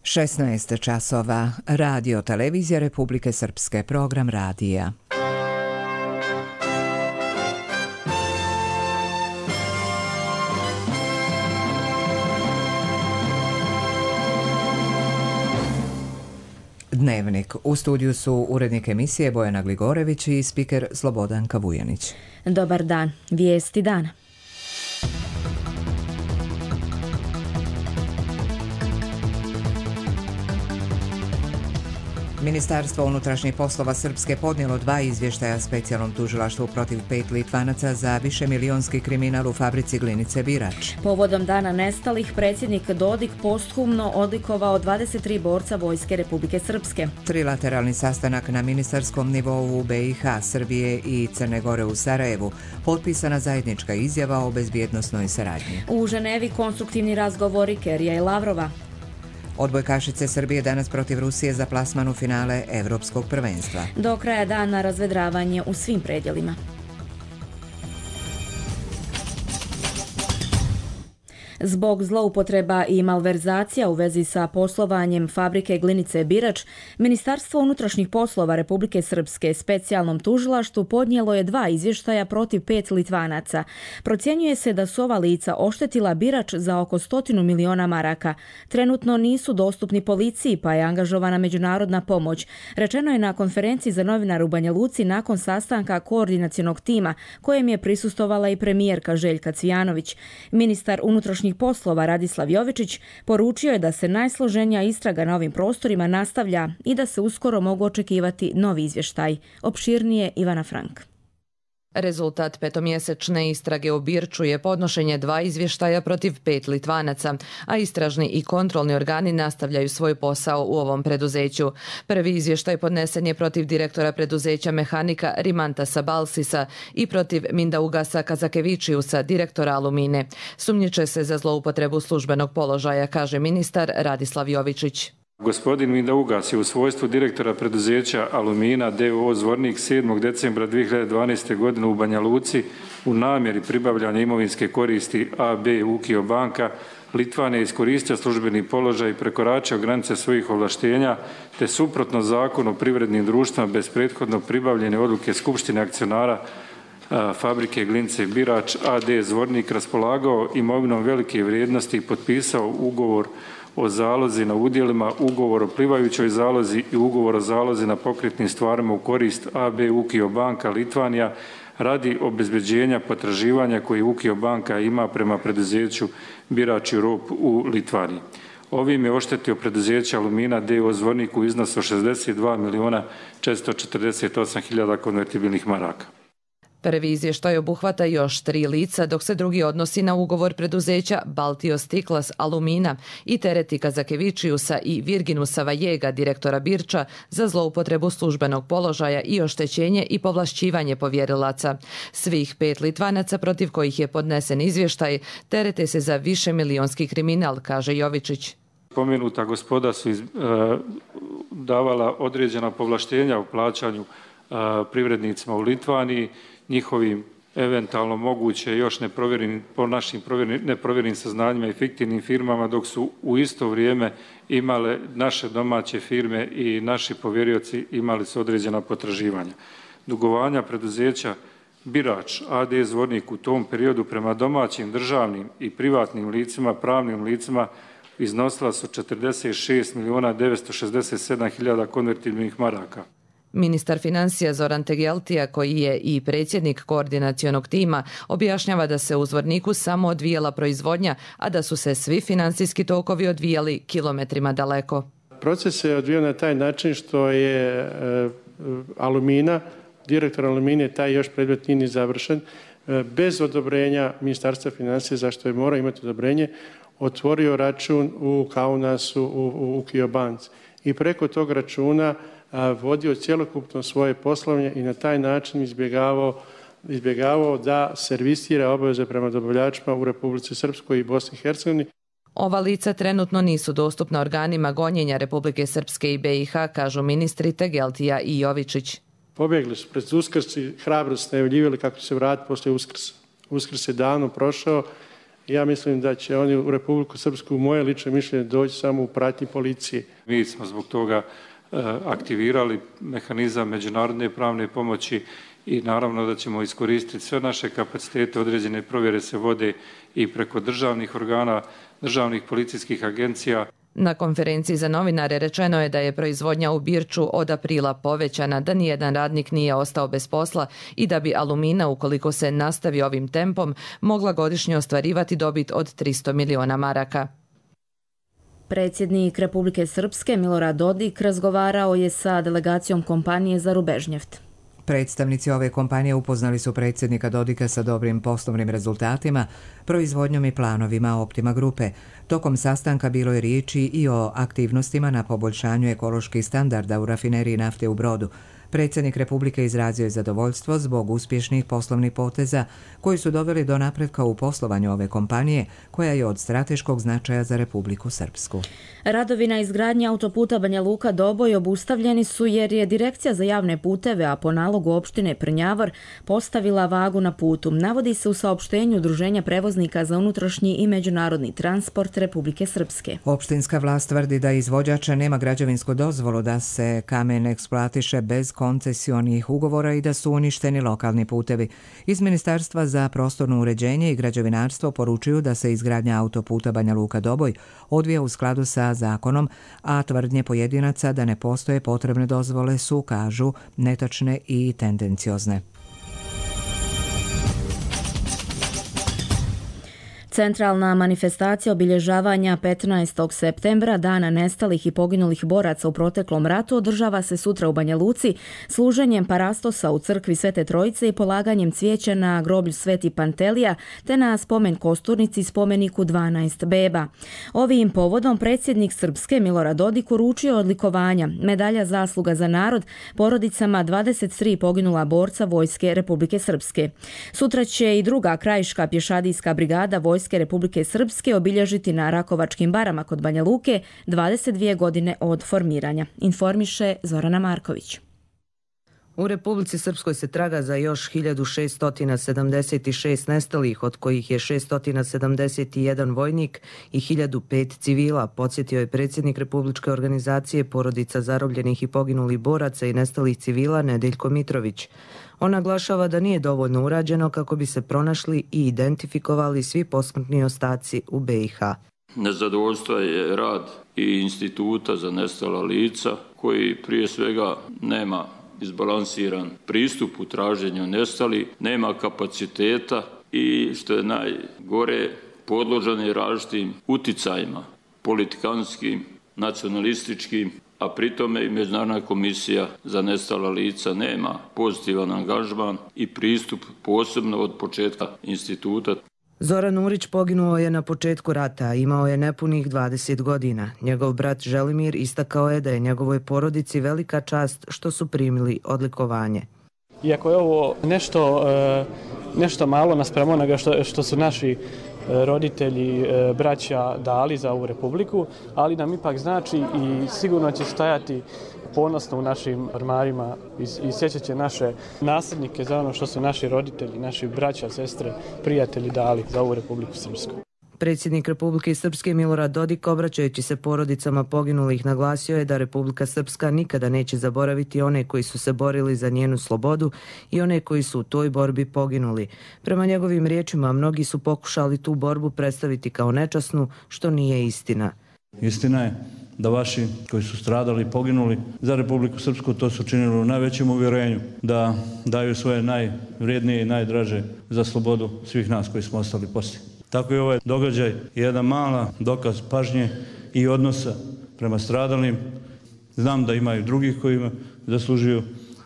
16 časova. Radio Televizija Republike Srpske, program radija. Dnevnik. U studiju su urednik emisije Bojana Gligorević i spiker Slobodanka Vujanić. Dobar dan. Vijesti dana. Ministarstvo unutrašnjih poslova Srpske podnijelo 2 izvještaja specijalnom tužilaštvu protiv 5 Litvanaca za višemilionski kriminal u fabrici glinice Birač. Povodom dana nestalih, predsjednik Dodik posthumno odlikovao 23 borca Vojske Republike Srpske. Trilateralni sastanak na ministarskom nivou u BiH, Srbije i Crne Gore u Sarajevu. Potpisana zajednička izjava o bezbjednosnoj saradnji. U Ženevi konstruktivni razgovori Kerija i Lavrova. Odbojkašice Srbije danas protiv Rusije za plasman u finale Evropskog prvenstva. Do kraja dana razvedravanje u svim predjelima. Zbog zloupotreba i malverzacija u vezi sa poslovanjem fabrike glinice Birač, Ministarstvo unutrašnjih poslova Republike Srpske specijalnom tužilaštvu podnijelo je 2 izvještaja protiv 5 Litvanaca. Procjenjuje se da su ova lica oštetila Birač za oko 100 miliona maraka. Trenutno nisu dostupni policiji, pa je angažovana međunarodna pomoć. Rečeno je na konferenciji za novinare u Banja Luci nakon sastanka koordinacionog tima, kojem je prisustvovala i premijerka Željka Cvijanović. Ministar unutrašnjih poslova Radislav Jovičić poručio je da se najsloženija istraga na ovim prostorima nastavlja i da se uskoro mogu očekivati novi izvještaj. Opširnije Ivana Frank. Rezultat petomjesečne istrage u Birču je podnošenje 2 izvještaja protiv 5 Litvanaca, a istražni i kontrolni organi nastavljaju svoj posao u ovom preduzeću. Prvi izvještaj podnesen je protiv direktora preduzeća mehanika Rimantasa Balsisa i protiv Mindaugasa Kazakevičiusa, direktora Alumine. Sumnjiče se za zloupotrebu službenog položaja, kaže ministar Radislav Jovičić. Gospodin Mindaugas je u svojstvu direktora preduzeća Alumina d.o.o. Zvornik 7. decembra 2012. godine u Banja Luci u namjeri pribavljanja imovinske koristi AB Ukio banka Litvane iskoristio službeni položaj i prekoračio granice svojih ovlaštenja te suprotno zakonu o privrednim društvima bez prethodno pribavljene odluke Skupštine akcionara fabrike glinice Birač AD Zvornik raspolagao imovinom velike vrijednosti i potpisao ugovor o zalozi na udjelima, ugovor o plivajućoj zalozi i ugovor o zalozi na pokretnim stvarima u korist AB Ukio banka Litvanija radi obezbeđenja potraživanja koje Ukio banka ima prema preduzeću Birač Europe u Litvaniji. Ovim je oštetio preduzeće Alumina d.o.o. Zvornik u iznosu 62.448.000 konvertibilnih maraka. Prvi izvještaj obuhvata još 3 lica, dok se drugi odnosi na ugovor preduzeća Baltios Tiklas Alumina i tereti Kazakevičiusa i Virginusa Vajega, direktora Birča, za zloupotrebu službenog položaja i oštećenje i povlašćivanje povjerilaca. Svih 5 Litvanaca protiv kojih je podnesen izvještaj terete se za višemilionski kriminal, kaže Jovičić. Pomenuta gospoda su davala određena povlaštenja u plaćanju privrednicima u Litvaniji, njihovim eventualno moguće još po našim neprovjerenim saznanjima i fiktivnim firmama, dok su u isto vrijeme imale naše domaće firme i naši povjerioci imali su određena potraživanja. Dugovanja preduzeća Birač AD Zvornik u tom periodu prema domaćim državnim i privatnim licima, pravnim licima iznosila su 46.967.000 konvertibilnih maraka. Ministar financija Zoran Tegeltija, koji je i predsjednik koordinacionog tima, objašnjava da se u Zvorniku samo odvijala proizvodnja, a da su se svi financijski tokovi odvijali kilometrima daleko. Proces se odvijao na taj način što je Alumina, direktor Alumine, taj još predmet nije završen, bez odobrenja Ministarstva financija, zašto je morao imati odobrenje, otvorio račun u Kaunasu u Ukio banci i preko tog računa vodio cjelokupno svoje poslovanje i na taj način izbjegavao da servisira obaveze prema dobavljačima u Republici Srpskoj i Bosni i Hercegovini. Ova lica trenutno nisu dostupna organima gonjenja Republike Srpske i BiH, kažu ministri Tegeltija i Jovičić. Pobjegli su pred Uskrs i hrabro se najavljivali kako će se vratiti poslije Uskrsa. Uskrs je davno prošao Ja mislim da će oni u Republiku Srpsku, moje lično mišljenje, doći samo u pratnji policije. Mi smo zbog toga aktivirali mehanizam međunarodne pravne pomoći i naravno da ćemo iskoristiti sve naše kapacitete. Određene provjere se vode i preko državnih organa, državnih policijskih agencija. Na konferenciji za novinare rečeno je da je proizvodnja u Birču od aprila povećana, da nijedan radnik nije ostao bez posla i da bi Alumina, ukoliko se nastavi ovim tempom, mogla godišnje ostvarivati dobit od 300 miliona maraka. Predsjednik Republike Srpske Milorad Dodik razgovarao je sa delegacijom kompanije za Rubežnjeft. Predstavnici ove kompanije upoznali su predsjednika Dodika sa dobrim poslovnim rezultatima, proizvodnjom i planovima Optima grupe. Tokom sastanka bilo je riječi i o aktivnostima na poboljšanju ekoloških standarda u rafineriji nafte u Brodu. Predsjednik Republike izrazio je zadovoljstvo zbog uspješnih poslovnih poteza koji su doveli do napretka u poslovanju ove kompanije, koja je od strateškog značaja za Republiku Srpsku. Radovi na izgradnji autoputa Banja Luka-Doboj obustavljeni su jer je Direkcija za javne puteve, a po nalogu opštine Prnjavar, postavila vagu na putu. Navodi se u saopštenju Udruženja prevoznika za unutrašnji i međunarodni transport Republike Srpske. Opštinska vlast tvrdi da izvođač nema građevinsku dozvolu da se kamen eksploatiše bez koncesionih ugovora i da su uništeni lokalni putevi. Iz Ministarstva za prostorno uređenje i građevinarstvo poručuju da se izgradnja autoputa Banja Luka-Doboj odvija u skladu sa zakonom, a tvrdnje pojedinaca da ne postoje potrebne dozvole su, kažu, netačne i tendenciozne. Centralna manifestacija obilježavanja 15. septembra, dana nestalih i poginulih boraca u proteklom ratu, održava se sutra u Banja Luci služenjem parastosa u crkvi Svete Trojice i polaganjem cvijeća na groblju Sveti Pantelija te na spomen kosturnici spomeniku 12 beba. Ovim povodom predsjednik Srpske Milorad Dodik uručio odlikovanja, medalja zasluga za narod porodicama 23 poginula borca Vojske Republike Srpske. Sutra će i druga krajiška pješadijska brigada Vojske Republike Srpske obilježiti na Rakovačkim barama kod Banja Luke 22 godine od formiranja, informiše Zorana Marković. U Republici Srpskoj se traga za još 1676 nestalih, od kojih je 671 vojnik i 1005 civila, podsjetio je predsjednik Republičke organizacije porodica zarobljenih i poginulih boraca i nestalih civila Nedeljko Mitrović. On naglašava da nije dovoljno urađeno kako bi se pronašli i identifikovali svi posmrtni ostaci u BiH. Nezadovoljstvo je rad i instituta za nestala lica koji prije svega nema izbalansiran pristup u traženju nestalih, nema kapaciteta i što je najgore podložan je različitim uticajima, politikanskim, nacionalističkim, a pritome i Međunarodna komisija za nestala lica nema pozitivan angažman i pristup posebno od početka instituta. Zoran Urić poginuo je na početku rata, imao je nepunih 20 godina. Njegov brat Želimir istakao je da je njegovoj porodici velika čast što su primili odlikovanje. Iako je ovo nešto malo naspram onoga što su naši roditelji, braća dali za ovu republiku, ali nam ipak znači i sigurno će stajati ponosno u našim ormarima i sjećat će naše nasljednike za ono što su naši roditelji, naši braća, sestre, prijatelji dali za ovu Republiku Srpsku. Predsjednik Republike Srpske Milorad Dodik, obraćajući se porodicama poginulih, naglasio je da Republika Srpska nikada neće zaboraviti one koji su se borili za njenu slobodu i one koji su u toj borbi poginuli. Prema njegovim riječima, mnogi su pokušali tu borbu predstaviti kao nečasnu, što nije istina. Istina je da vaši koji su stradali i poginuli za Republiku Srpsku to su činili u najvećem uvjerenju da daju svoje najvrijednije i najdraže za slobodu svih nas koji smo ostali poslije. Tako je ovaj događaj jedan mala dokaz pažnje i odnosa prema stradalim. Znam da ima i drugih koji zaslužuju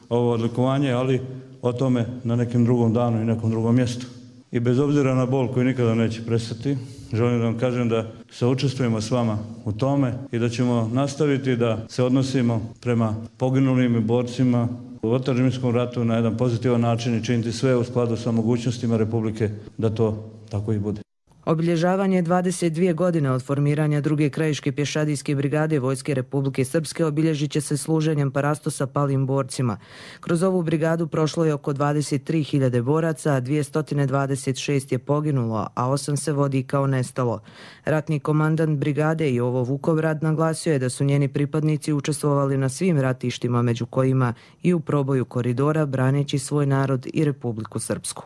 ovo odlikovanje, ali o tome na nekom drugom danu i nekom drugom mjestu. I bez obzira na bol koji nikada neće prestati, želim da vam kažem da se učestvujemo s vama u tome i da ćemo nastaviti da se odnosimo prema poginulim i borcima u otadžbinskom ratu na jedan pozitivan način i činiti sve u skladu sa mogućnostima Republike da to tako i bude. Obilježavanje 22 godine od formiranja druge krajiške pješadijske brigade Vojske Republike Srpske obilježit će se služenjem parastosa palim borcima. Kroz ovu brigadu prošlo je oko 23.000 boraca, 226 je poginulo, a 8 se vodi kao nestalo. Ratni komandant brigade Jovo Vukovrad naglasio je da su njeni pripadnici učestvovali na svim ratištima, među kojima i u proboju koridora, braneći svoj narod i Republiku Srpsku.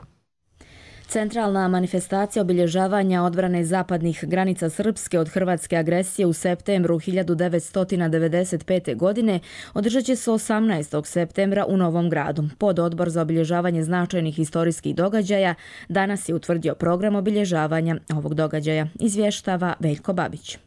Centralna manifestacija obilježavanja odbrane zapadnih granica Srpske od hrvatske agresije u septembru 1995. godine održat će se 18. septembra u Novom Gradu. Pododbor za obilježavanje značajnih historijskih događaja danas je utvrdio program obilježavanja ovog događaja, izvještava Veljko Babić.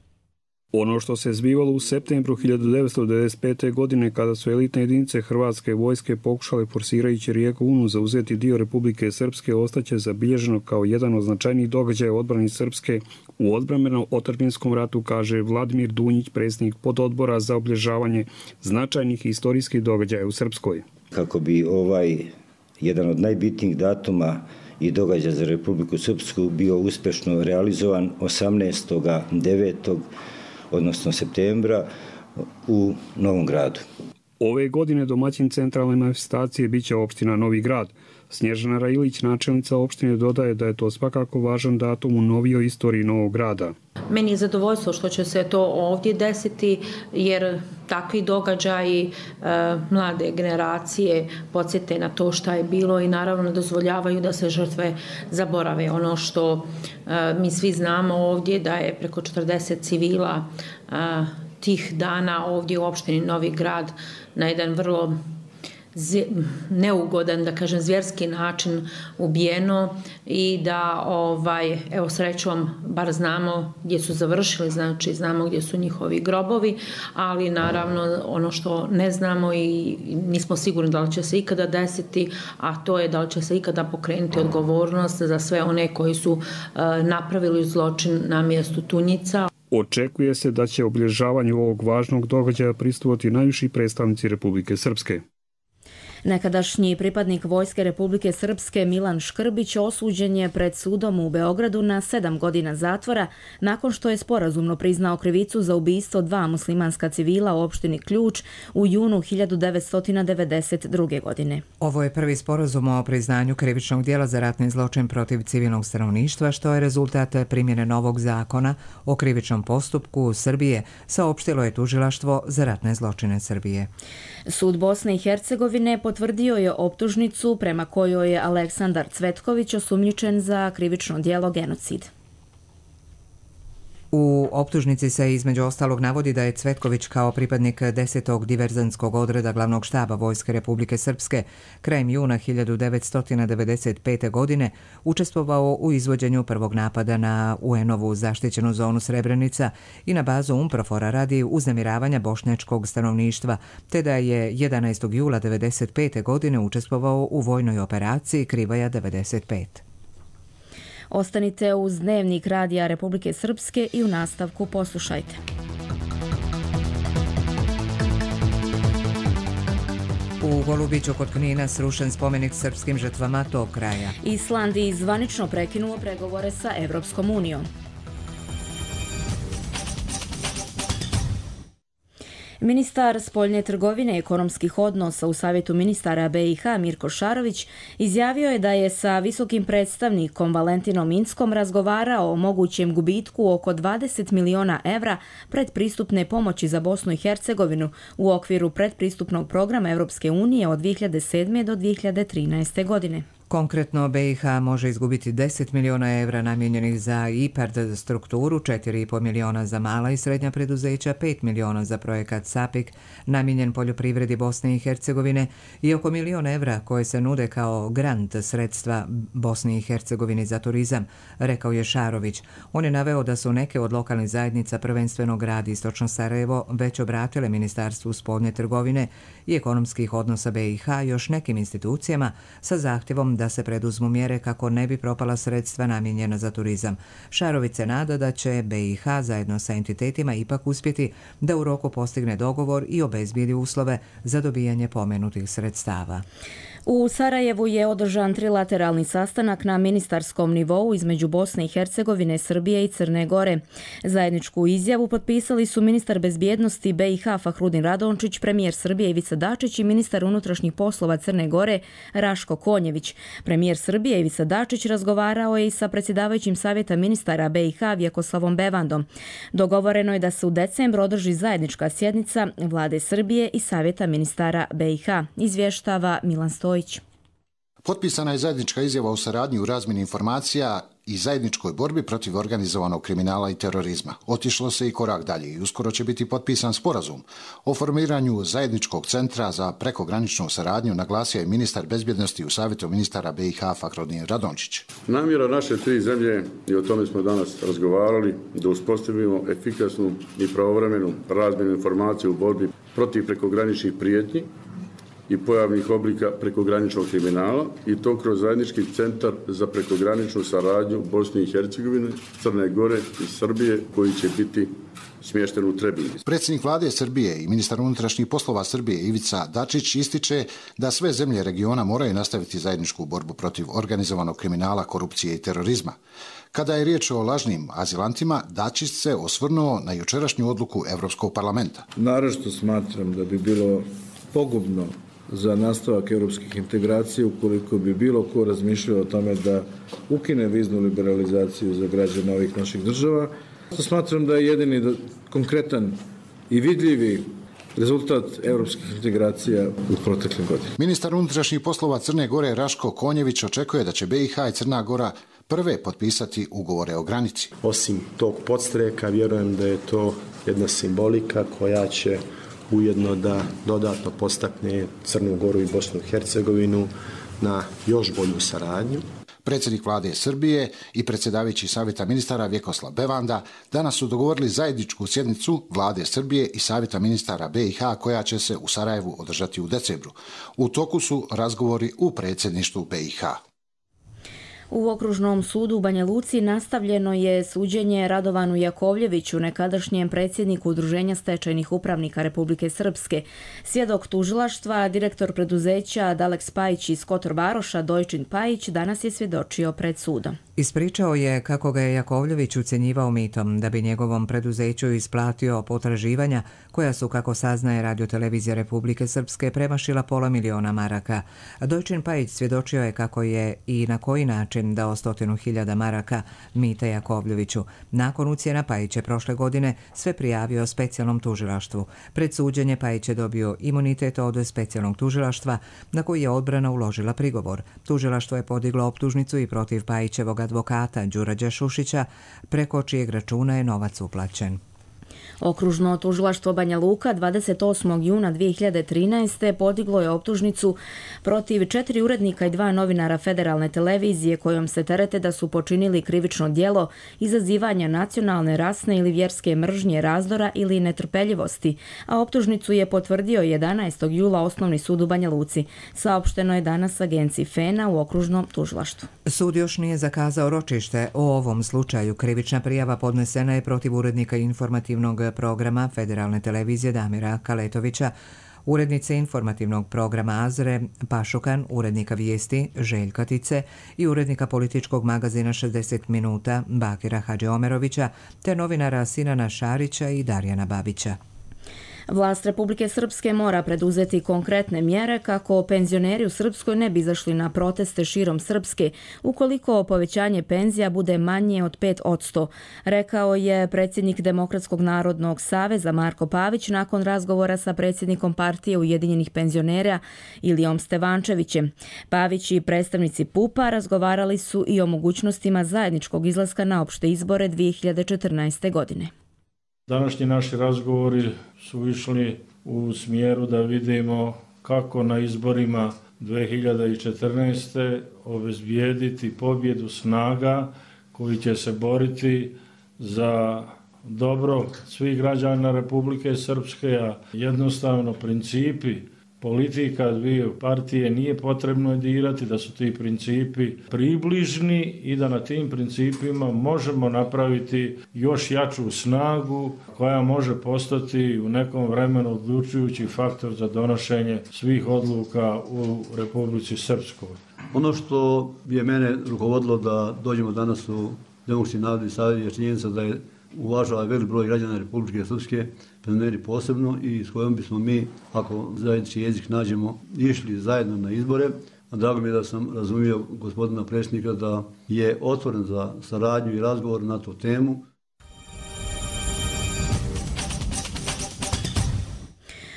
Ono što se zbivalo u septembru 1995. godine kada su elitne jedinice Hrvatske vojske pokušale forsirajući rijeku Unu zauzeti dio Republike Srpske ostaće zabilježeno kao jedan od značajnijih događaja odbrani Srpske u odbrambeno-otadžbinskom ratu, kaže Vladimir Dunjić, predsjednik pododbora za obilježavanje značajnih historijskih događaja u Srpskoj. Kako bi jedan od najbitnijih datuma i događaja za Republiku Srpsku bio uspješno realizovan 18.9. odnosno septembra u Novom Gradu. Ove godine domaćin centralne manifestacije biće opština Novi Grad. Snježana Railić, načelnica opštine, dodaje da je to svakako važan datum u novijoj istoriji Novog Grada. Meni je zadovoljstvo što će se to ovdje desiti, jer takvi događaji mlade generacije podsjete na to šta je bilo i naravno ne dozvoljavaju da se žrtve zaborave. Ono što mi svi znamo ovdje da je preko 40 civila tih dana ovdje u opštini Novi Grad na jedan vrlo neugodan, da kažem, zvjerski način ubijeno i da, evo srećom, bar znamo gdje su završili, znači znamo gdje su njihovi grobovi, ali naravno ono što ne znamo i nismo sigurni da li će se ikada desiti, a to je da li će se ikada pokrenuti odgovornost za sve one koji su napravili zločin na mjestu Tunjica. Očekuje se da će obilježavanju ovog važnog događaja prisustvovati najviši predstavnici Republike Srpske. Nekadašnji pripadnik Vojske Republike Srpske Milan Škrbić osuđen je pred sudom u Beogradu na 7 godina zatvora nakon što je sporazumno priznao krivicu za ubistvo 2 muslimanska civila u opštini Ključ u junu 1992. godine. Ovo je prvi sporazum o priznanju krivičnog djela za ratni zločin protiv civilnog stanovništva, što je rezultat primjene novog zakona o krivičnom postupku Srbije, saopštilo je Tužilaštvo za ratne zločine Srbije. Sud Bosne i Hercegovine potvrdio je optužnicu prema kojoj je Aleksandar Cvetković osumnjičen za krivično djelo genocid. U optužnici se između ostalog navodi da je Cvetković kao pripadnik 10. diverzantskog odreda glavnog štaba Vojske Republike Srpske krajem juna 1995. godine učestvovao u izvođenju prvog napada na UN-ovu zaštićenu zonu Srebrenica i na bazu UNPROFOR-a radi uznemiravanja bošnjačkog stanovništva, te da je 11. jula 1995. godine učestvovao u vojnoj operaciji Krivaja 95. Ostanite uz Dnevnik Radija Republike Srpske i u nastavku poslušajte. U Golubiću kod Knina srušen spomenik srpskim žrtvama tog kraja. Island je zvanično prekinuo pregovore sa Evropskom unijom. Ministar spoljne trgovine i ekonomskih odnosa u Savjetu ministara BiH Mirko Šarović izjavio je da je sa visokim predstavnikom Valentinom Inckom razgovarao o mogućem gubitku oko 20 miliona evra predpristupne pomoći za Bosnu i Hercegovinu u okviru predpristupnog programa Evropske unije od 2007. do 2013. godine. Konkretno, BiH može izgubiti 10 miliona evra namijenjenih za IPARD strukturu, 4,5 miliona za mala i srednja preduzeća, 5 miliona za projekat SAPIK namijenjen poljoprivredi Bosne i Hercegovine i oko milion evra koje se nude kao grant sredstva Bosni i Hercegovini za turizam, rekao je Šarović. On je naveo da su neke od lokalnih zajednica, prvenstveno grad Istočno Sarajevo, već obratile Ministarstvu spoljne trgovine i ekonomskih odnosa BiH još nekim institucijama sa zahtjevom da se preduzmu mjere kako ne bi propala sredstva namijenjena za turizam. Šarović se nada da će BiH zajedno sa entitetima ipak uspjeti da u roku postigne dogovor i obezbijedi uslove za dobijanje pomenutih sredstava. U Sarajevu je održan trilateralni sastanak na ministarskom nivou između Bosne i Hercegovine, Srbije i Crne Gore. Zajedničku izjavu potpisali su ministar bezbjednosti BiH Fahrudin Radončić, premijer Srbije Ivica Dačić i ministar unutrašnjih poslova Crne Gore Raško Konjević. Premijer Srbije Ivica Dačić razgovarao je i sa predsjedavajućim savjeta ministara BiH Vjekoslavom Bevandom. Dogovoreno je da se u decembru održi zajednička sjednica vlade Srbije i savjeta ministara BiH. Izvještava Milan Stojić. Potpisana je zajednička izjava o saradnji u razmjeni informacija i zajedničkoj borbi protiv organizovanog kriminala i terorizma. Otišlo se i korak dalje i uskoro će biti potpisan sporazum o formiranju zajedničkog centra za prekograničnu saradnju, naglasio je ministar bezbjednosti u savjetu ministara BiH Fahrudin Radončić. Namjera naše tri zemlje, i o tome smo danas razgovarali, da uspostavimo efikasnu i pravovremenu razmjenu informacija u borbi protiv prekograničnih prijetnji i pojavnih oblika prekograničnog kriminala, i to kroz zajednički centar za prekograničnu saradnju Bosne i Hercegovine, Crne Gore i Srbije, koji će biti smješten u Trebinju. Predsjednik vlade Srbije i ministar unutrašnjih poslova Srbije Ivica Dačić ističe da sve zemlje regiona moraju nastaviti zajedničku borbu protiv organizovanog kriminala, korupcije i terorizma. Kada je riječ o lažnim azilantima, Dačić se osvrnuo na jučerašnju odluku Europskog parlamenta. Naravno smatram da bi bilo pogubno za nastavak europskih integracija ukoliko bi bilo ko razmišljao o tome da ukine viznu liberalizaciju za građane ovih naših država. Smatram da je jedini konkretan i vidljivi rezultat europskih integracija u proteklim godinama. Ministar unutrašnjih poslova Crne Gore Raško Konjević očekuje da će BiH i Crna Gora prve potpisati ugovore o granici. Osim tog podstreka, vjerujem da je to jedna simbolika koja će ujedno da dodatno postakne Crnu Goru i Bosnu i Hercegovinu na još bolju saradnju. Predsjednik vlade Srbije i predsjedavajući savjeta ministara Vjekoslav Bevanda danas su dogovorili zajedničku sjednicu vlade Srbije i savjeta ministara BiH koja će se u Sarajevu održati u decembru. U toku su razgovori u predsjedništvu BiH. U Okružnom sudu u Banja Luci nastavljeno je suđenje Radovanu Jakovljeviću, nekadašnjem predsjedniku Udruženja stečajnih upravnika Republike Srpske. Svjedok tužilaštva, direktor preduzeća Daleks Pajić iz Kotor Varoša, Dojčin Pajić, danas je svjedočio pred sudom. Ispričao je kako ga je Jakovljević ucjenjivao mitom da bi njegovom preduzeću isplatio potraživanja koja su, kako saznaje Radiotelevizija Republike Srpske, premašila $500.000 maraka. Dojčin Pajić svjedočio je kako je i na koji način dao 100.000 maraka mita Jakovljeviću. Nakon ucjena Pajić je prošle godine sve prijavio specijalnom tužilaštvu. Pred suđenje Pajić je dobio imunitet od specijalnog tužilaštva na koji je odbrana uložila prigovor. Tužilaštvo je podiglo optužnicu i protiv Pajićevog advokata Đurađa Šušića, preko čijeg računa je novac uplaćen. Okružno tužilaštvo Banja Luka 28. juna 2013. podiglo je optužnicu protiv 4 urednika i 2 novinara Federalne televizije kojom se terete da su počinili krivično djelo izazivanja nacionalne, rasne ili vjerske mržnje, razdora ili netrpeljivosti, a optužnicu je potvrdio 11. jula Osnovni sud u Banja Luci. Saopšteno je danas agenciji FENA u Okružnom tužilaštvu. Sud još nije zakazao ročište o ovom slučaju. Krivična prijava podnesena je protiv urednika informativnog programa Federalne televizije Damira Kaletovića, urednice informativnog programa Azre Pašukan, urednika vijesti Željka Tice i urednika političkog magazina 60 minuta Bakira Hadžiomerovića, te novinara Sinana Šarića i Darjana Babića. Vlast Republike Srpske mora preduzeti konkretne mjere kako penzioneri u Srpskoj ne bi izašli na proteste širom Srpske ukoliko povećanje penzija bude manje od 5%, rekao je predsjednik Demokratskog narodnog saveza Marko Pavić nakon razgovora sa predsjednikom partije Ujedinjenih penzionera Ilijom Stevančevićem. Pavić i predstavnici PUP-a razgovarali su i o mogućnostima zajedničkog izlaska na opšte izbore 2014. godine. Današnji naši razgovori su išli u smjeru da vidimo kako na izborima 2014. obezbijediti pobjedu snaga koji će se boriti za dobro svih građana Republike Srpske, a jednostavno principi politika dvije partije nije potrebno dirati, da su ti principi približni i da na tim principima možemo napraviti još jaču snagu koja može postati u nekom vremenu odlučujući faktor za donošenje svih odluka u Republici Srpskoj. Ono što je mene rukovodilo da dođemo danas u Demokratski narodni savez je činjenica da je uvažava velik broj građana Republike Srpske, prema meni posebno, i s kojom bismo mi, ako zajednički jezik nađemo, išli zajedno na izbore. Drago mi je da sam razumio gospodina predsjednika da je otvoren za saradnju i razgovor na tu temu.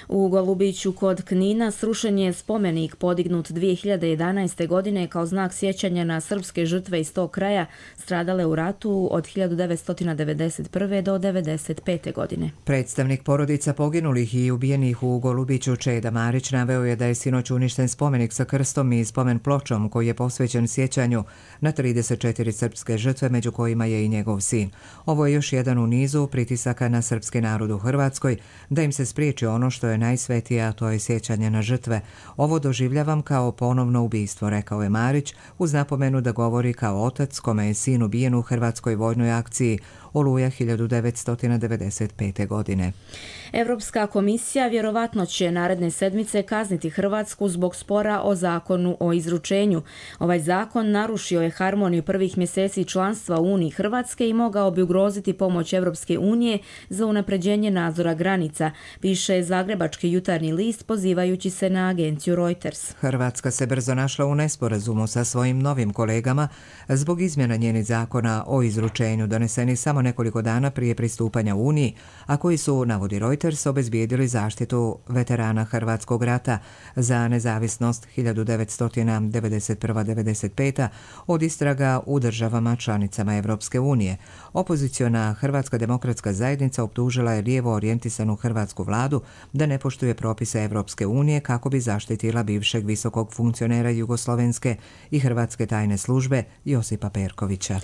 U Golubiću kod Knina srušen je spomenik podignut 2011. godine kao znak sjećanja na srpske žrtve iz tog kraja stradale u ratu od 1991. do 1995. godine. Predstavnik porodica poginulih i ubijenih u Golubiću Čeda Marić naveo je da je sinoć uništen spomenik sa krstom i spomen pločom koji je posvećen sjećanju na 34 srpske žrtve, među kojima je i njegov sin. Ovo je još jedan u nizu pritisaka na srpski narod u Hrvatskoj da im se spriječi ono što je najsvetije, a to je sjećanje na žrtve. Ovo doživljavam kao ponovno ubistvo, rekao je Marić, uz napomenu da govori kao otac kome je sin ubijen u hrvatskoj vojnoj akciji Oluja 1995. godine. Evropska komisija vjerovatno će naredne sedmice kazniti Hrvatsku zbog spora o zakonu o izručenju. Ovaj zakon narušio je harmoniju prvih mjeseci članstva u Uniji Hrvatske i mogao bi ugroziti pomoć Evropske unije za unapređenje nadzora granica, piše Zagrebački jutarnji list pozivajući se na agenciju Reuters. Hrvatska se brzo našla u nesporazumu sa svojim novim kolegama zbog izmjena njenih zakona o izručenju doneseni samo nekoliko dana prije pristupanja Uniji, a koji su, navodi Reuters, obezbijedili zaštitu veterana Hrvatskog rata za nezavisnost 1991-95. od istraga u državama članicama Evropske unije. Opoziciona Hrvatska demokratska zajednica optužila je lijevo orijentisanu hrvatsku vladu da ne poštuje propise Evropske unije kako bi zaštitila bivšeg visokog funkcionera jugoslovenske i hrvatske tajne službe Josipa Perkovića.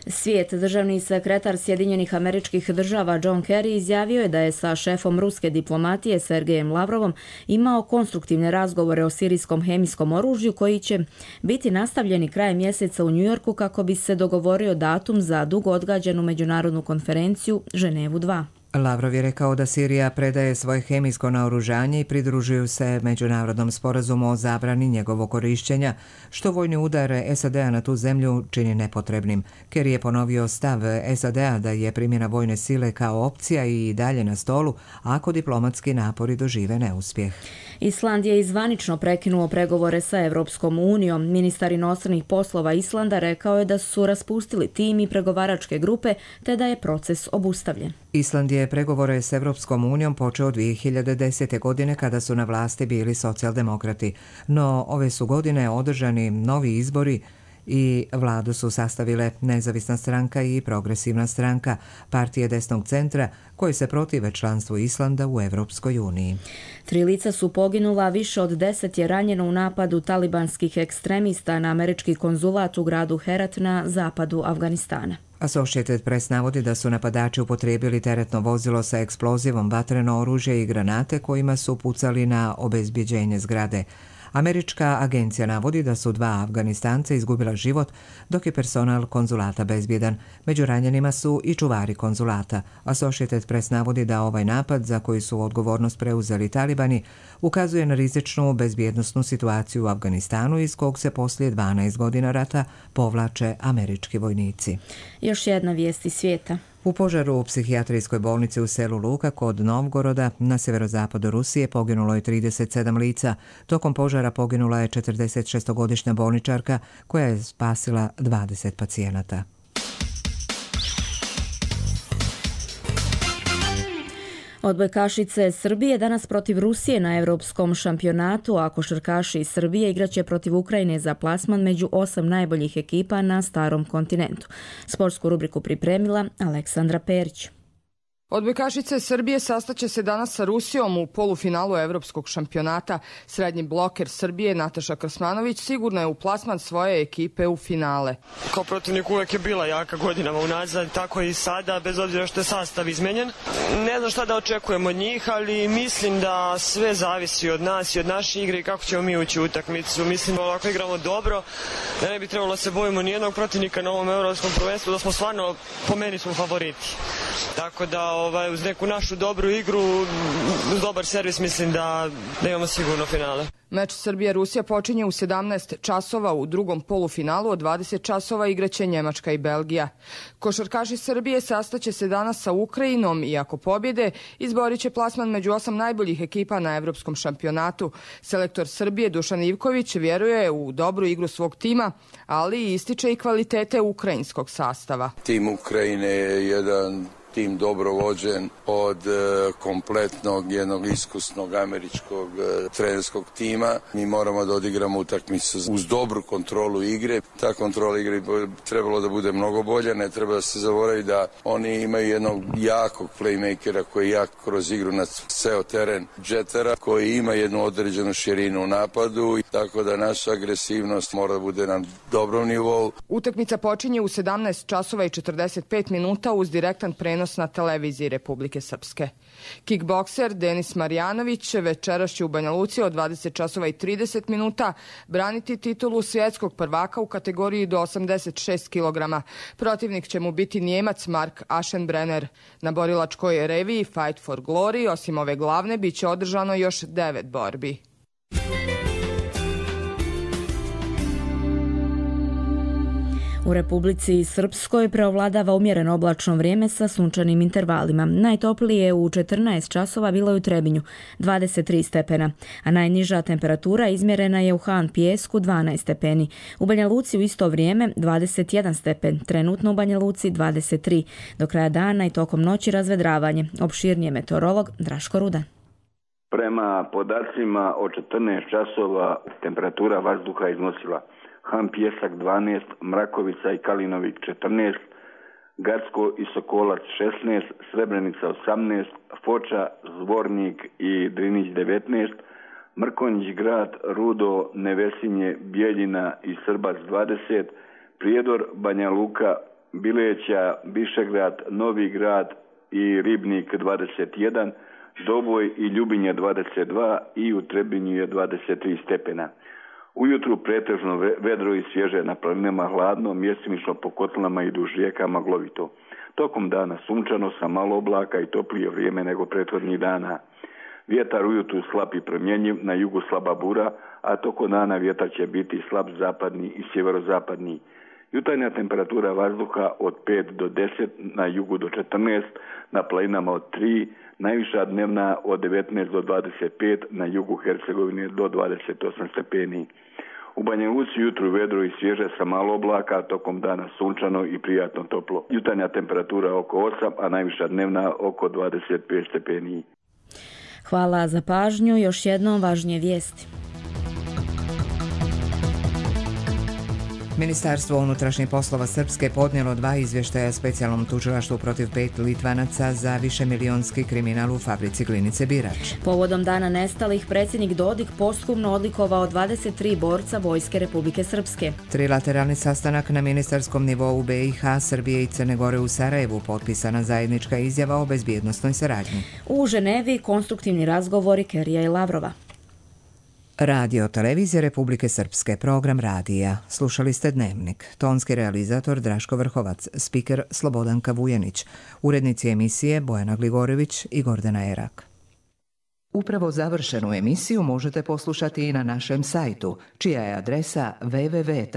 Svijet, državni sekretar Sjedinjenih Američkih Država John Kerry izjavio je da je sa šefom ruske diplomatije Sergejem Lavrovom imao konstruktivne razgovore o sirijskom hemijskom oružju koji će biti nastavljeni krajem mjeseca u Njujorku kako bi se dogovorio datum za dugo odgađanu međunarodnu konferenciju Ženevu 2. Lavrov je rekao da Sirija predaje svoje hemijsko naoružanje i pridružuju se međunarodnom sporazumu o zabrani njegovog korišćenja, što vojni udar SAD-a na tu zemlju čini nepotrebnim. Kerry je ponovio stav SAD-a da je primjena vojne sile kao opcija i dalje na stolu ako diplomatski napori dožive neuspjeh. Island je zvanično prekinuo pregovore sa Evropskom unijom. Ministar inostranih poslova Islanda rekao je da su raspustili tim i pregovaračke grupe te da je proces obustavljen. Island je pregovore s Evropskom unijom počeo 2010. godine kada su na vlasti bili socijaldemokrati, no ove su godine održani novi izbori i vladu su sastavile Nezavisna stranka i Progresivna stranka, partije desnog centra koje se protive članstvu Islanda u Evropskoj uniji. 3 lica su poginula, više od 10 je ranjeno u napadu talibanskih ekstremista na američki konzulat u gradu Herat na zapadu Afganistana. Associated Press navodi da su napadači upotrijebili teretno vozilo sa eksplozivom, vatreno oružje i granate kojima su pucali na obezbjeđenje zgrade. Američka agencija navodi da su 2 Afganistanca izgubila život, dok je personal konzulata bezbjedan. Među ranjenima su i čuvari konzulata. Associated Press navodi da ovaj napad, za koji su odgovornost preuzeli talibani, ukazuje na rizičnu bezbjednosnu situaciju u Afganistanu iz kog se poslije 12 godina rata povlače američki vojnici. Još jedna vijest iz svijeta. U požaru u psihijatrijskoj bolnici u selu Luka kod Novgoroda na severozapadu Rusije poginulo je 37 lica. Tokom požara poginula je 46-godišnja bolničarka koja je spasila 20 pacijenata. Odbojkašice Srbije danas protiv Rusije na Europskom šampionatu, a košarkaši iz Srbije igraće protiv Ukrajine za plasman među 8 najboljih ekipa na starom kontinentu. Sportsku rubriku pripremila Aleksandra Perić. Odbojkašice Srbije sastaće se danas sa Rusijom u polufinalu evropskog šampionata. Srednji bloker Srbije Nataša Krsmanović sigurno je u plasman svoje ekipe u finale. Kao protivnik uvek je bila jaka godinama unazad, tako i sada, bez obzira što je sastav izmenjen. Ne znam šta da očekujemo od njih, ali mislim da sve zavisi od nas i od naše igre i kako ćemo mi ući u utakmicu. Mislim da ovako igramo dobro, da ne bi trebalo se bojimo nijednog protivnika na ovom evropskom prvenstvu, da smo stvarno, po meni smo favoriti. Tako da uz neku našu dobru igru, uz dobar servis, mislim da imamo sigurno finale. Meč Srbija-Rusija počinje u 17 časova u drugom polufinalu, od 20 časova igraće Njemačka i Belgija. Košarkaši Srbije sastaće se danas sa Ukrajinom i ako pobjede, izborit će plasman među 8 najboljih ekipa na evropskom šampionatu. Selektor Srbije Dušan Ivković vjeruje u dobru igru svog tima, ali ističe i kvalitete ukrajinskog sastava. Tim Ukrajine je jedan tim dobro vođen od kompletnog jednog iskusnog američkog trenerskog tima. Mi moramo da odigramo utakmicu uz dobru kontrolu igre. Ta kontrola igre bi trebalo da bude mnogo bolja. Ne treba da se zaboravi da oni imaju jednog jakog playmakera koji je jak kroz igru na ceo teren, Džetara, koji ima jednu određenu širinu u napadu. Tako da naša agresivnost mora da bude na dobrom nivou. Utakmica počinje u 17 časova i 45 minuta uz direktan prenos na televiziji Republike Srpske. Kickbokser Denis Marjanović večeras će u Banja Luci od 20 časova i 30 minuta braniti titulu svjetskog prvaka u kategoriji do 86 kg. Protivnik će mu biti Njemac Mark Aschenbrenner. Na borilačkoj reviji Fight for Glory, osim ove glavne, bit će održano još 9 borbi. U Republici Srpskoj preovladava umjereno oblačno vrijeme sa sunčanim intervalima. Najtoplije u 14 časova bilo je u Trebinju, 23 stepena, a najniža temperatura izmjerena je u Han Pijesku, 12 stepeni. U Banja Luci u isto vrijeme 21 stepen, trenutno u Banja Luci 23. Do kraja dana i tokom noći razvedravanje. Opširnije meteorolog Draško Rudan. Prema podacima od 14 časova temperatura vazduha iznosila Han Pijesak 12, Mrakovica i Kalinovik 14, Gacko i Sokolac 16, Srebrenica 18, Foča, Zvornik i Drinić 19, Mrkonjić grad, Rudo, Nevesinje, Bijeljina i Srbac 20, Prijedor, Banja Luka, Bileća, Višegrad, Novi grad i Ribnik 21, Doboj i Ljubinja 22 i u Trebinju je 23 stepena. Ujutru pretežno vedro i svježe, na planinama hladno, mjestimično po kotlinama i duž rijeka maglovito. Tokom dana sunčano sa malo oblaka i toplije vrijeme nego prethodnih dana. Vjetar ujutru slab i promjenjiv, na jugu slaba bura, a tokom dana vjetar će biti slab zapadni i sjeverozapadni. Jutarnja temperatura vazduha od 5 do 10, na jugu do 14, na planinama od 3, najviša dnevna od 19 do 25, na jugu Hercegovine do 28 stepeni. U Banja Luci jutru vedro i svježe sa malo oblaka, tokom dana sunčano i prijatno toplo. Jutarnja temperatura oko 8, a najviša dnevna oko 25 stepeni. Hvala za pažnju. Još jednom važnije vijesti. Ministarstvo unutrašnjih poslova Srpske podnijelo 2 izvještaja specijalnom tužilaštvu protiv 5 Litvanaca za višemilijonski kriminal u fabrici Glinice Birač. Povodom dana nestalih, predsjednik Dodik posthumno odlikovao 23 borca Vojske Republike Srpske. Trilateralni sastanak na ministarskom nivou BiH, Srbije i Crne Gore u Sarajevu, potpisana zajednička izjava o bezbjednosnoj saradnji. U Ženevi konstruktivni razgovori Kerija i Lavrova. Radio televizije Republike Srpske, program radija. Slušali ste Dnevnik. Tonski realizator Draško Vrhovac, spiker Slobodanka Vujanić, urednici emisije Bojana Gligorević i Gordana Erak. Upravo završenu emisiju možete poslušati i na našem sajtu, čija je adresa www.rtrs.tv.